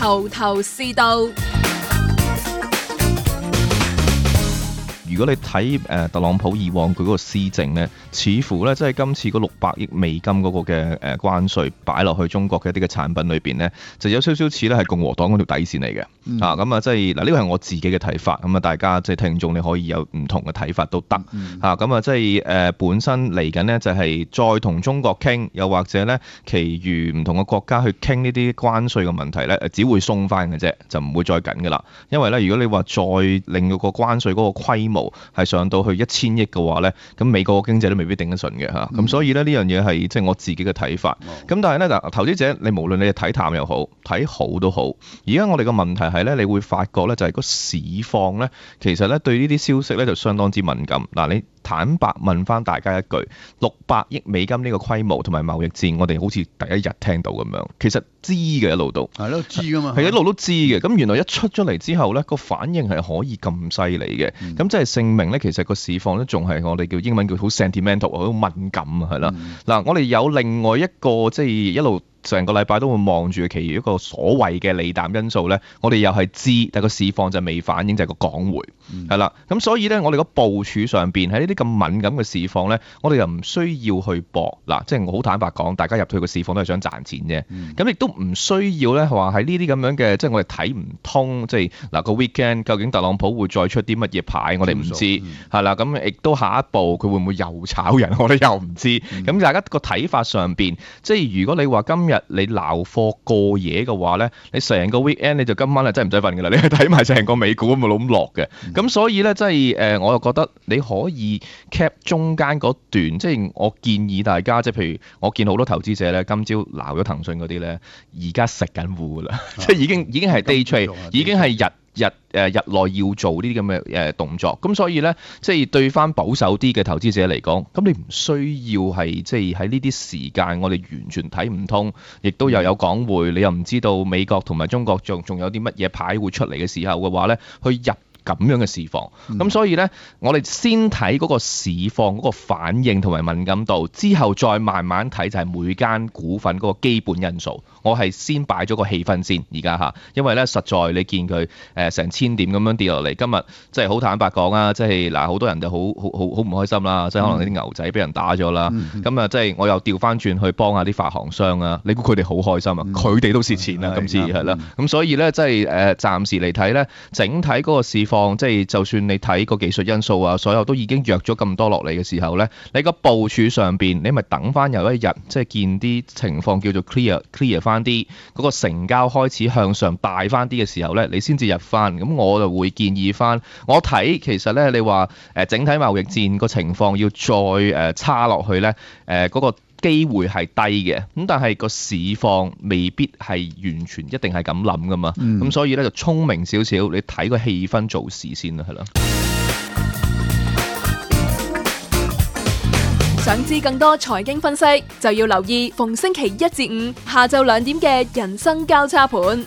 頭頭是道。如果你睇特朗普以往佢嗰個施政呢，似乎呢，即係今次嗰600億美金嗰個嘅關稅擺落去中國嘅一啲嘅產品裏邊呢，就有少少似咧係共和黨嗰條底線嚟嘅。咁啊，即係嗱，呢個係我自己嘅睇法。咁啊，大家即係聽眾你可以有唔同嘅睇法都得。咁啊，即係本身嚟緊呢，就係再同中國傾，又或者呢，其餘唔同嘅國家去傾呢啲關稅嘅問題呢，只會鬆翻嘅啫，就唔會再緊㗎啦。因為呢，如果你話再令到個關稅嗰個規模係上到去1000億嘅話咧，咁美國嘅經濟都未必頂得順嘅嚇，咁所以咧呢樣嘢係即係我自己嘅睇法。咁但係咧嗱，投資者你無論你係睇淡又好，睇好都好，而家我哋嘅問題係咧，你會發覺咧就係個市況咧，其實咧對呢啲消息咧就相當之敏感。嗱，你坦白問翻大家一句，600億美金呢個規模同埋貿易戰，我哋好似第一日聽到咁樣，其實知嘅一路都係咯，知噶嘛，係一路都知嘅。咁原來一出咗嚟之後咧，個反應係可以咁犀利嘅。咁即係證明咧，其實個市況咧仲係我哋叫英文叫好 sentimental， 好敏感啊，係啦。嗱，我哋有另外一個即係一路成個禮拜都會望住其餘一個所謂嘅利淡因素咧，我哋又係知，但個市況就未反映，就係個港匯係啦。咁所以咧，我哋個部署上邊喺呢啲咁敏感嘅市況咧，我哋又唔需要去搏嗱，即係我好坦白講，大家入去個市況都係想賺錢啫。咁亦都唔需要咧話喺呢啲咁樣嘅，即係我哋睇唔通，即係嗱個 weekend 究竟特朗普會再出啲乜嘢牌，我哋唔知係啦。咁亦都下一步佢會唔會又炒人，我哋又唔知。咁大家個睇法上邊，即係如果你話今日你撈貨過夜嘅話咧，你成個 weekend 你就今晚係真係唔使瞓㗎啦，你去睇埋成個美股咁咁落嘅。咁所以咧，即係我又覺得你可以 cap 中間嗰段，即係我建議大家，即係譬如我見好多投資者咧，今朝撈咗騰訊嗰啲咧，而家食緊糊㗎啦，即係已經係 day trade，已經係日內要做呢啲咁嘅動作，咁所以咧，即係對翻保守啲嘅投資者嚟講，咁你唔需要係即係喺呢啲時間，我哋完全睇唔通，亦都又有港匯，你又唔知道美國同埋中國仲有啲乜嘢牌會出嚟嘅時候嘅話咧，去入咁樣嘅市況。咁所以咧，我哋先睇嗰個市況嗰個反應同埋敏感度，之後再慢慢睇就係每間股份嗰個基本因素。我係先擺咗個氣氛先，而家嚇，因為咧實在你見佢成1000點咁樣跌落嚟，今日即係好坦白講啊，即係嗱好多人就好唔開心啦，即係可能啲牛仔俾人打咗啦，咁啊即係我又調翻轉去幫下啲發行商啊，你估佢哋好開心啊？佢哋都蝕錢啊，今次係啦，咁所以咧即係暫時嚟睇咧，整體嗰個市況即係就算你睇個技術因素啊，所有都已經弱咗咁多落嚟嘅時候咧，你個部署上邊你咪等翻有一日即係見啲情況叫做 clear 翻啲嗰個成交開始向上大翻啲嘅時候咧，你先至入翻。咁我就會建議翻，我睇其實咧你話整體貿易戰個情況要再差落去咧，嗰個機會係低嘅。咁但係個市況未必係完全一定係咁諗噶嘛。咁所以咧就聰明少少，你睇個氣氛做事先啦，係咯。想知更多財經分析，就要留意逢星期1至5下晝2點嘅人生交叉盤。